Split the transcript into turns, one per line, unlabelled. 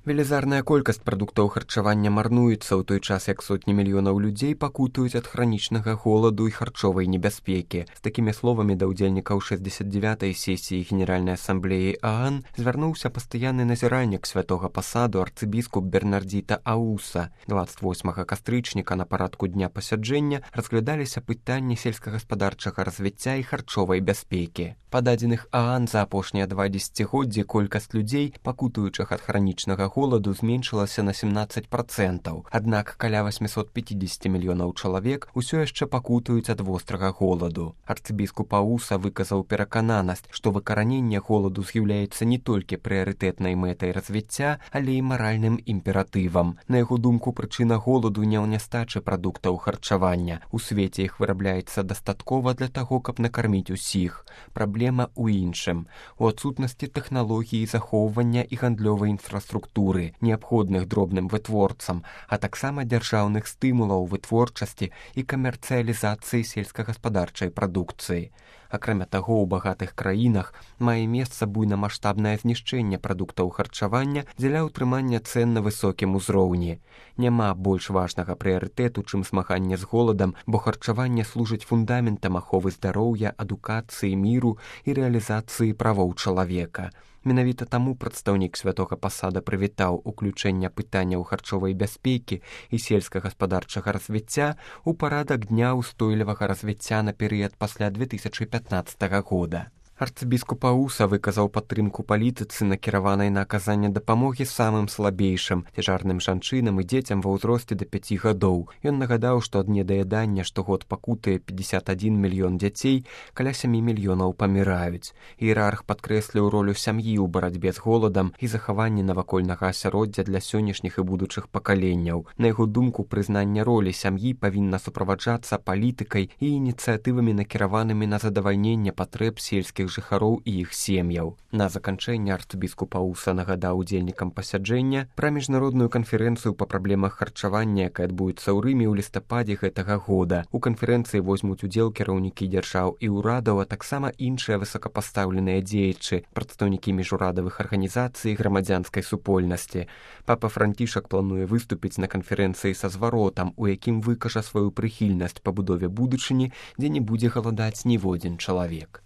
Велізарная колькасць прадуктаў харчавання марнуецца ў той час, як сотні мільёнаў людзей пакутуюць ад хранічнага голаду і харчовай небяспекі. З такімі словамі да ўдзельнікаў 69-й сесіі Генеральнай асамблеі ААН звярнуўся пастаянны назіральнік святога пасаду арцыбіскуп Бернардзіта Ауса. 28 кастрычніка на парадку дня пасяджэння разглядаліся пытанні сельскагаспадарчага развіцця і харчовай бяспекі. Па дадзеных ААН за апошнія 2 дзесяцігоддзі колькасць людзей, пакутуючых ад хранічнага голаду, зменшылася на 17%. Аднак каля 850 мільёнаў чалавек усё яшчэ пакутуюць ад вострага голаду. Арцыбіскуп Ауса выказаў перакананасць, што выкараненне голаду з'яўляецца не толькі прыярытэтнай мэтай развіцця, але і маральным імператывам. На яго думку, прычына голаду не ў нястачы прадуктаў харчавання. У свеце іх вырабляецца дастаткова для таго, каб накарміць усіх. Праблема ў іншым. У адсутнасці тэхналогіі захоўвання і гандлёвай інфраструктуры, неабходных дробным вытворцам, а таксама дзяржаўных стымулаў вытворчасці і камерцыялізацыі сельскагаспадарчай прадукцыі. Акрамя таго, у багатых краінах мае месца буйнамаштабнае знішчэнне прадуктаў харчавання дзеля ўтрымання цэн на высокім узроўні. Няма больш важнага прыярытэту, чым змаганне з голадам, бо харчаванне служыць фундаментам аховы здароўя, адукацыі, міру і рэалізацыі правоў чалавека. Менавіта таму прадстаўнік святога пасада прывітаў уключэнне пытанняў харчовай бяспекі і сельскагаспадарчага развіцця ў парадак дня ўстойлівага развіцця на перыяд пасля 2015 года. Арцыбіскуп Ауса выказаў падтрымку палітыцы, накіраванай на аказанне дапамогі самым слабейшым, цяжарным жанчынам і дзецям ва ўзросце да 5 гадоў. Ён нагадаў, што ад недаядання штогод пакутае 51 мільён дзяцей, каля 7 мільёнаў паміраюць. Іерарх падкрэсліў ролю сям'і ў барацьбе з голадам і захаванні навакольнага асяроддзя для сённяшніх і будучых пакаленняў. На яго думку, прызнанне ролі сям'і павінна суправаджацца палітыкай і ініцыятывамі, накіраванымі на задавальненне патрэб сельскіх жыхароў і іх сем'яў. На заканчэнне арцыбіскуп Ауса нагадаў удзельнікам пасяджэння пра міжнародную канферэнцыю па праблемах харчавання, якая адбудзецца ў Рыме ў лістападзе гэтага года. У канферэнцыі возьмуць удзел кіраўнікі дзяржаў і ўрадаў, а таксама іншыя высокапастаўленыя дзеячы, прадстаўнікі міжурадавых арганізацый грамадзянскай супольнасці. Папа Францішак плануе выступіць на канферэнцыі са зваротам, у якім выкажа сваю прыхільнасць пабудове будучыні, дзе не будзе галадаць ніводзін чалавек.